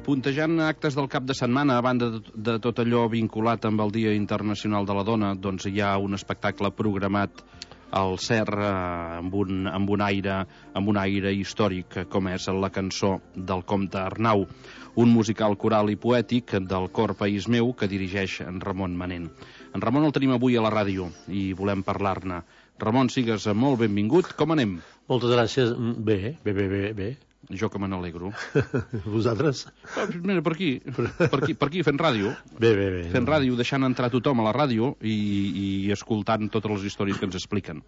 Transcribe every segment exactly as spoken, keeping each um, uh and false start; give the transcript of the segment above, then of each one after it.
Puntejant actes del cap de setmana, a banda de, de tot allò vinculat amb el Dia Internacional de la Dona, doncs hi ha un espectacle programat al C E R eh, amb, un, amb, un aire, amb un aire històric, com és la cançó del Comte Arnau, un musical coral i poètic del cor País Meu que dirigeix en Ramon Manent. En Ramon el tenim avui a la ràdio i volem parlar-ne. Ramon, sigues molt benvingut. Com anem? Moltes gràcies. Bé, bé, bé, bé, bé. Jo que me n'alegro. Vosaltres? Ah, mira, per aquí, per aquí, per aquí, fent ràdio. Bé, bé, bé. Fent ràdio, deixant entrar tothom a la ràdio i, i escoltant totes les històries que ens expliquen.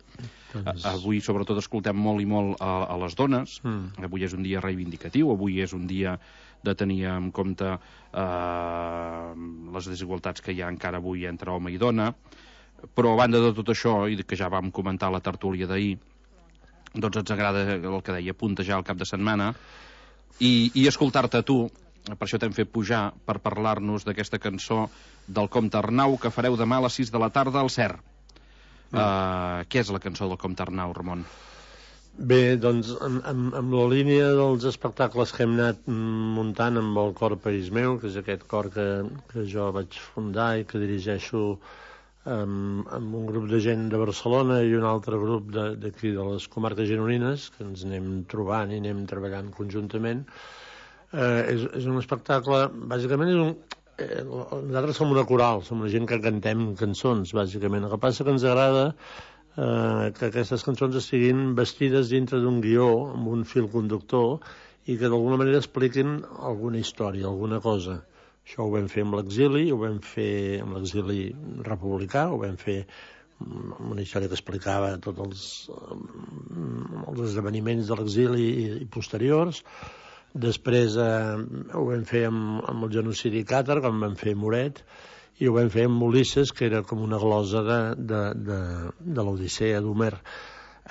Doncs... Avui, sobretot, escoltem molt i molt a, a les dones. Mm. Avui és un dia reivindicatiu, avui és un dia de tenir en compte eh, les desigualtats que hi ha encara avui entre home i dona. Però, a banda de tot això, i que ja vam comentar a la tertúlia d'ahir, doncs ens agrada el que deia, puntejar el cap de setmana i, i escoltar-te a tu. Per això t'hem fet pujar per parlar-nos d'aquesta cançó del Comte Arnau que fareu demà a les sis de la tarda al C E R. Mm. Uh, què és la cançó del Comte Arnau, Ramon? Bé, doncs, en, en, en la línia dels espectacles que hem anat muntant amb el cor País Meu, que és aquest cor que, que jo vaig fundar i que dirigeixo amb, amb un grup de gent de Barcelona i un altre grup d'aquí de, de les comarques gironines, que ens anem trobant i anem treballant conjuntament. Eh, és, és un espectacle, bàsicament és un... Eh, nosaltres som una coral, som una gent que cantem cançons, bàsicament. El que passa que ens agrada eh, que aquestes cançons estiguin vestides dintre d'un guió, amb un fil conductor, i que d'alguna manera expliquin alguna història, alguna cosa. Això ho vam fer amb l'exili, ho vam fer amb l'exili republicà, ho vam fer amb una història que explicava tots els, els esdeveniments de l'exili i, i posteriors. Després eh, ho vam fer amb, amb el genocidi càtar, com vam fer Moret, i ho vam fer amb Ulisses, que era com una glosa de, de, de, de l'Odissea d'Homer.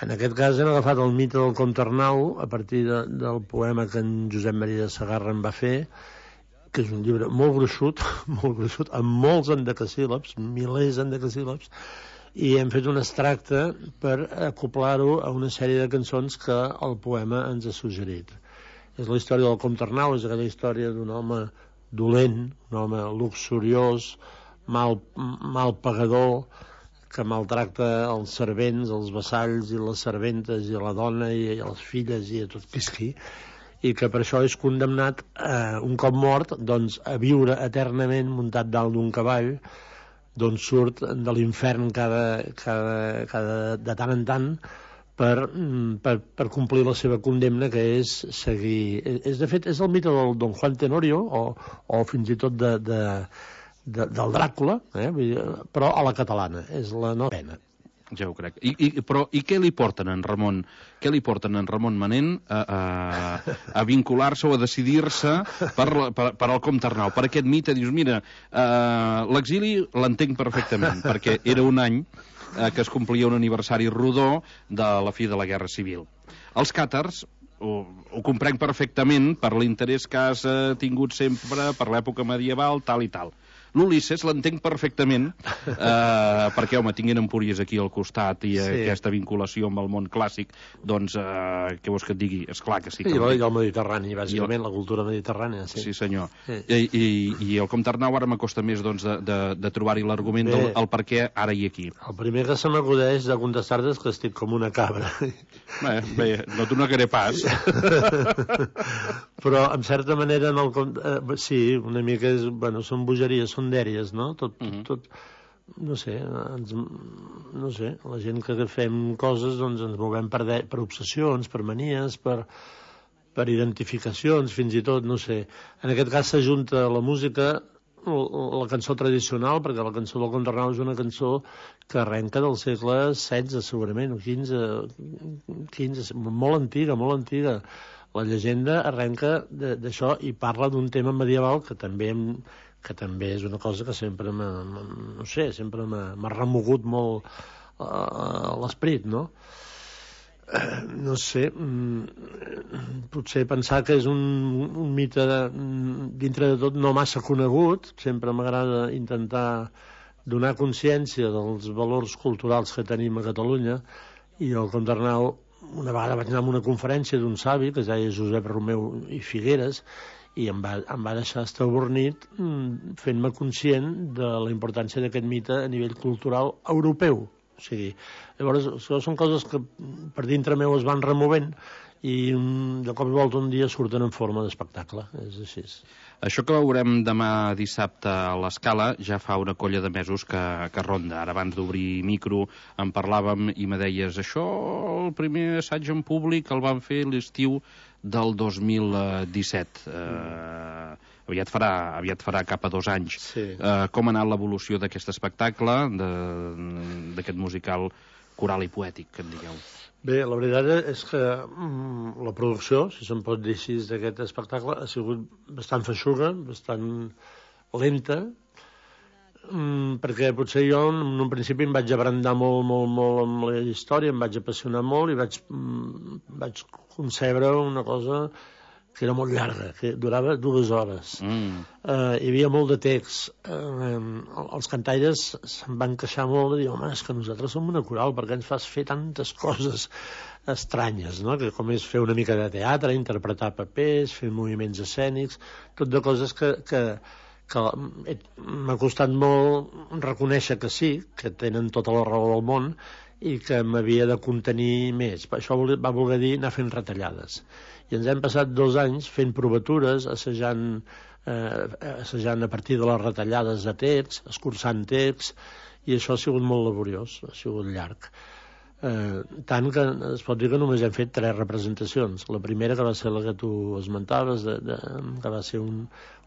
En aquest cas hem agafat el mite del Comte Arnau a partir de, del poema que en Josep Maria de Sagarra en va fer, que és un llibre molt gruixut, molt gruixut, amb molts endecasíl·labs, milers d'endecasíl·labs, i hem fet un extracte per acoplar-ho a una sèrie de cançons que el poema ens ha suggerit. És la història del Comte Arnau, és aquella història d'un home dolent, un home luxuriós, mal, mal pagador, que maltracta els servents, els vassalls i les serventes i la dona i, i les filles i a tot qui és qui, i que per això és condemnat, eh, un cop mort, doncs, a viure eternament muntat dalt d'un cavall, d'on surt de l'infern cada, cada, cada, de tant en tant per, per, per complir la seva condemna, que és seguir... És, de fet, és el mite del Don Juan Tenorio, o, o fins i tot de, de, de, del Dràcula, eh? Però a la catalana, és la novena. Ja ho crec. I, i, però i què li porten en Ramon? Què li porten en Ramon Manent a, a, a vincular-se o a decidir-se per, per, per al Comte Arnau? Per aquest mite, dius, mira, uh, l'exili l'entenc perfectament, perquè era un any uh, que es complia un aniversari rodó de la fi de la Guerra Civil. Els càtars ho, ho comprenc perfectament per l'interès que has uh, tingut sempre per l'època medieval, tal i tal. L'Ulisses l'entenc perfectament eh, perquè, home, tinguin Empúries aquí al costat i sí. Aquesta vinculació amb el món clàssic, doncs, eh, què vols que et digui? Esclar que sí. Que I, el, I el Mediterrani, bàsicament, el... la cultura mediterrània. Sí, sí senyor. Sí. I, i, I el Comte Arnau ara m'acosta més doncs, de, de, de trobar-hi l'argument del el per què ara i aquí. El primer que se m'acudeix de contestar-te és que estic com una cabra. Bé, bé no t'ho negaré pas. Però, en certa manera, en el, eh, sí, una mica és, bueno, són bogeries, són dèries, no? Tot, uh -huh. tot, no sé, ens, no sé, la gent que fem coses, doncs ens movem per, de, per obsessions, per manies, per, per identificacions, fins i tot, no sé. En aquest cas s'ajunta la música, la cançó tradicional, perquè la cançó del Comte Arnau és una cançó que arrenca del segle setze, segurament, o quinze, quinze, molt antiga, molt antiga. La llegenda arrenca d'això i parla d'un tema medieval que també hem que també és una cosa que sempre m'ha, no sé, sempre m'ha remogut molt a l'esperit, no? No sé, potser pensar que és un, un mite de, dintre de tot no massa conegut. Sempre m'agrada intentar donar consciència dels valors culturals que tenim a Catalunya, i el Comte Arnau una vegada vaig anar a una conferència d'un savi que es deia Josep Romeu i Figueres, i em va, em va deixar estabornit fent-me conscient de la importància d'aquest mite a nivell cultural europeu. O sigui, llavors, són coses que per dintre meu es van removent i de cop i volta un dia surten en forma d'espectacle, és així. Això que veurem demà dissabte a l'Escala ja fa una colla de mesos que, que ronda. Ara, abans d'obrir micro, en parlàvem i me deies, això, el primer assaig en públic el van fer l'estiu del dos mil disset. Eh, aviat, farà, aviat farà cap a dos anys. Sí. Eh, com ha anat l'evolució d'aquest espectacle, d'aquest musical coral i poètic, que en digueu? Bé, la veritat és que mm, la producció, si se'n pot dir així, d'aquest espectacle ha sigut bastant feixuga, bastant lenta, mm, perquè potser jo en un principi em vaig abrandar molt, molt, molt amb la història, em vaig apassionar molt i vaig, mm, vaig concebre una cosa que era molt llarga, que durava dues hores. Mm. Uh, hi havia molt de text. Uh, els cantaires se'n van queixar molt de dir, home, és que nosaltres som una coral, perquè ens fas fer tantes coses estranyes, no? Que com és fer una mica de teatre, interpretar papers, fer moviments escènics, tot de coses que, que, que m'ha costat molt reconèixer que sí, que tenen tota la raó del món, i que m'havia de contenir més. Això va voler dir anar fent retallades. I ens hem passat dos anys fent provatures, assajant, eh, assajant a partir de les retallades de text, escurçant text, i això ha sigut molt laboriós, ha sigut llarg. Eh, tant que es pot dir que només hem fet tres representacions. La primera, que va ser la que tu esmentaves, de, de, que va ser un,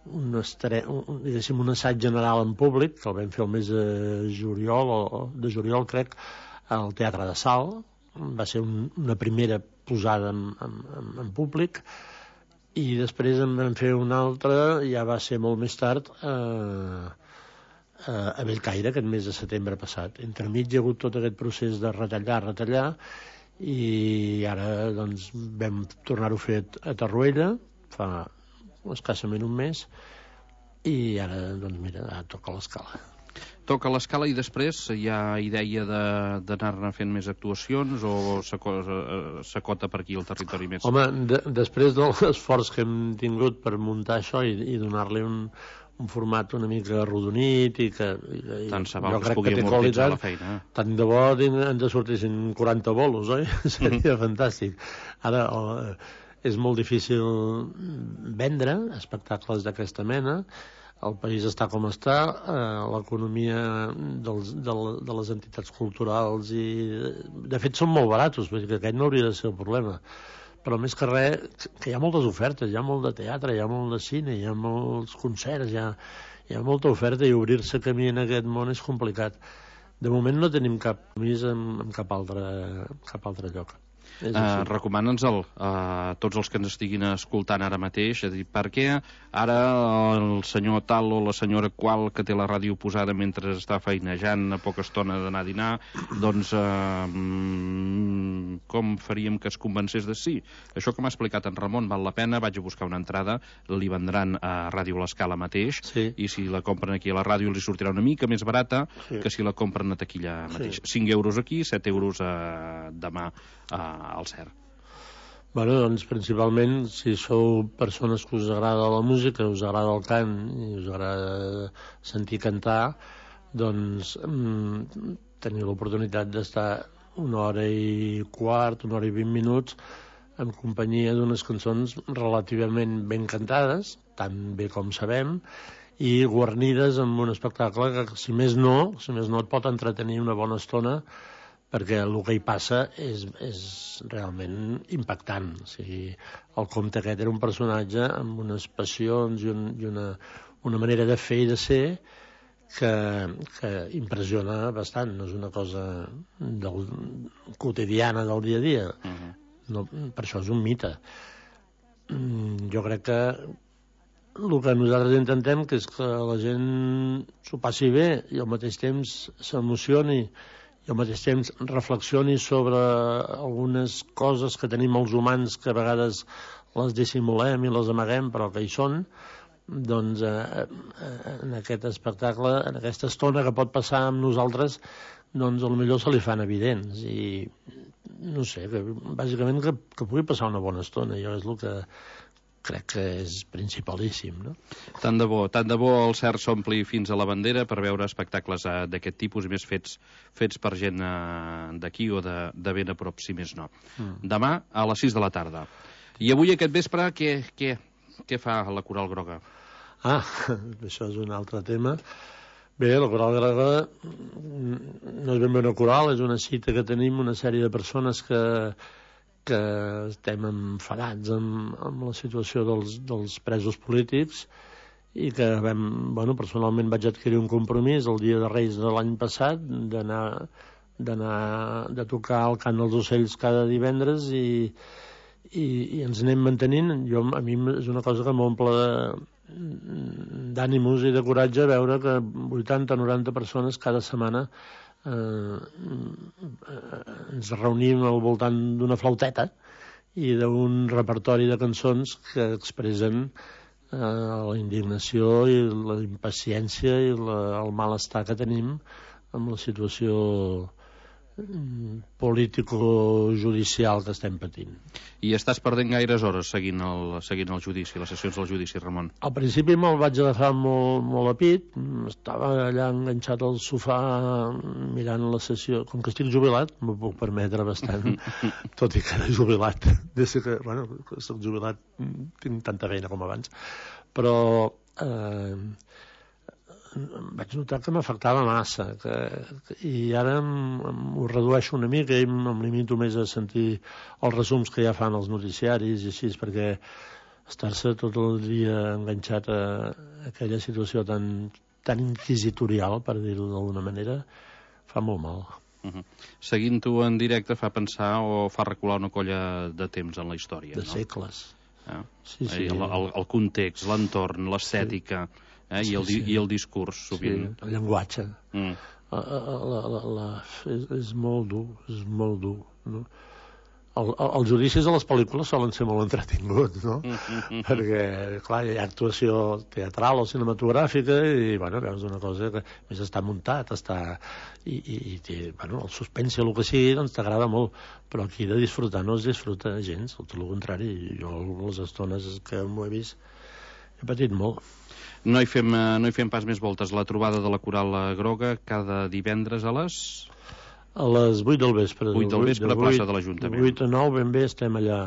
un, estre, un, diguéssim, un assaig general en públic, que el vam fer el mes de juliol, o de juliol, crec, al Teatre de Sal. Va ser un, una primera posada en, en, en públic, i després en vam fer una altra, ja va ser molt més tard, eh, a Bellcaire, aquest mes de setembre passat. Entremig hi ha hagut tot aquest procés de retallar, retallar, i ara doncs, vam tornar-ho a fer a Torroella, fa escassament un mes, i ara, doncs mira, ara toca l'Escala. Toca l'Escala i després hi ha idea d'anar-ne fent més actuacions o s'acota per aquí el territori més? Home, de, després de l'esforç que hem tingut per muntar això i, i donar-li un, un format una mica arrodonit i que i, tant se val que es pugui amortitzar la feina. Tant de bo ens sortissin quaranta bolos, oi? Seria mm-hmm. fantàstic. Ara oh, és molt difícil vendre espectacles d'aquesta mena. El país està com està, eh, l'economia dels, de, de les entitats culturals i... De fet, són molt baratos, perquè aquest no hauria de ser el problema. Però més que res, que hi ha moltes ofertes, hi ha molt de teatre, hi ha molt de cine, hi ha molts concerts, hi ha, hi ha molta oferta, i obrir-se camí en aquest món és complicat. De moment no tenim cap més en, en cap, altre, cap altre lloc. Uh, Recomana'ns-el a uh, tots els que ens estiguin escoltant ara mateix, és a dir, per què ara el senyor tal o la senyora qual que té la ràdio posada mentre està feinejant a poca estona d'anar a dinar, doncs uh, mm, com faríem que es convencés de sí? Això que m'ha explicat en Ramon val la pena, vaig a buscar una entrada, li vendran a Ràdio L'Escala mateix, sí. I si la compren aquí a la ràdio li sortirà una mica més barata, sí. Que si la compren a taquilla mateix. Sí. cinc euros aquí, set euros uh, demà uh, al C E R. Bueno, doncs principalment si sou persones que us agrada la música, us agrada el cant i us agrada sentir cantar, doncs mm, teniu l'oportunitat d'estar una hora i quart, una hora i vint minuts en companyia d'unes cançons relativament ben cantades, tan bé com sabem, i guarnides amb un espectacle que, si més no, si més no et pot entretenir una bona estona, perquè el que hi passa és, és realment impactant. O sigui, el comte aquest era un personatge amb unes passions i, un, i una, una manera de fer i de ser que, que impressiona bastant. No és una cosa del, quotidiana del dia a dia. Uh-huh. No, per això és un mite. Jo crec que el que nosaltres intentem que és que la gent s'ho passi bé i al mateix temps s'emocioni i al mateix temps reflexioni sobre algunes coses que tenim els humans que a vegades les dissimulem i les amaguem però que hi són, doncs eh, en aquest espectacle, en aquesta estona que pot passar amb nosaltres, doncs potser se li fan evidents i no sé, que, bàsicament que, que pugui passar una bona estona. Jo és el que crec que és principalíssim, no? Tant de bo, tant de bo el Cert s'ompli fins a la bandera per veure espectacles eh, d'aquest tipus i més fets fets per gent eh, d'aquí o de, de ben a prop, si més no. Mm. Demà a les sis de la tarda. I avui aquest vespre, què, què, què fa la Coral Groga? Ah, això és un altre tema. Bé, la Coral Groga no és ben bé una coral, és una cita que tenim una sèrie de persones que que estem enfadats amb, amb la situació dels, dels presos polítics i que vam, bueno, personalment vaig adquirir un compromís el dia de Reis de l'any passat d'anar d'anar de tocar el cant dels ocells cada divendres i, i, i ens anem mantenint. Jo, a mi és una cosa que m'omple d'ànims i de coratge veure que vuitanta o noranta persones cada setmana Eh, ens reunim al voltant d'una flauteta i d'un repertori de cançons que expressen eh, la indignació i la impaciència i la, el malestar que tenim amb la situació político-judicial que estem patint. I estàs perdent gaires hores seguint el, seguint el judici, les sessions del judici, Ramon? Al principi me'l vaig agafar molt, molt a pit, estava allà enganxat al sofà mirant la sessió. Com que estic jubilat, m'ho puc permetre bastant, tot i que era jubilat. Des que, bueno, que soc jubilat, tinc tanta feina com abans. Però eh, vaig notar que m'afectava massa que, que, i ara ho redueixo una mica i em limito més a sentir els resums que ja fan els noticiaris i així, perquè estar-se tot el dia enganxat a aquella situació tan, tan inquisitorial, per dir-ho d'alguna manera, fa molt mal. Uh -huh. Seguint-ho en directe fa pensar o fa recular una colla de temps en la història, de no? segles. Eh? Sí, sí. El, el, el context, l'entorn, l'estètica... Sí. Eh, i, el, sí, sí. i el discurs, sovint. Sí, el llenguatge. Mm. La, la, la, la, és, és molt dur, és molt dur. No? El, el, els judicis a les pel·lícules solen ser molt entretinguts, no? Mm, mm, mm. Perquè, clar, hi ha actuació teatral o cinematogràfica i, bueno, veus una cosa que més està muntat, està... I, i, i té, bueno, el suspense o el que sigui, doncs t'agrada molt. Però aquí de disfrutar no es disfruta gens, tot el contrari. Jo, les estones que m'ho he vist, he patit molt. No hi, fem, no hi fem pas més voltes. La trobada de la Coral Groga cada divendres a les... A les vuit del vespre. vuit del vespre a plaça de l'Ajuntament. vuit a nou ben bé estem allà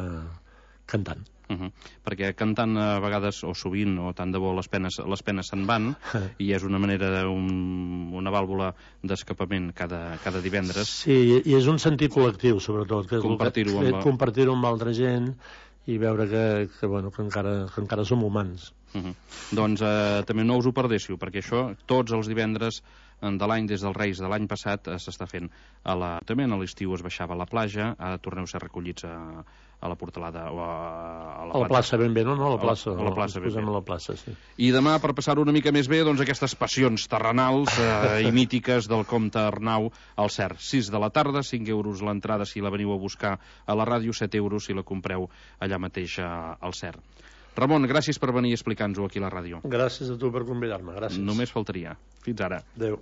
cantant. Uh -huh. Perquè cantant a vegades, o sovint, o tant de bo les penes, les penes se'n van, i és una manera, un, una vàlvula d'escapament cada, cada divendres. Sí, i és un sentit col·lectiu, sobretot, que és compartir-ho amb, amb, compartir amb altra gent i veure que, que, bueno, que, encara, que encara som humans. Uh -huh. Doncs eh, també no us ho perdéssiu, perquè això tots els divendres de l'any, des dels Reis de l'any passat, s'està fent a la... També a l'estiu es baixava a la platja, ara torneu a ser recollits a, a la Portalada o a, a la, a la plaça ben bé, no? no a la plaça, a la, a la plaça, no, ben bé. A la plaça, sí. I demà, per passar-ho una mica més bé, doncs aquestes passions terrenals eh, i mítiques del comte Arnau al Cert. sis de la tarda, cinc euros l'entrada si la veniu a buscar a la ràdio, set euros si la compreu allà mateix a, al Cert. Ramon, gràcies per venir a explicar-nos-ho aquí a la ràdio. Gràcies a tu per convidar-me, gràcies. Només faltaria. Fins ara. Adéu.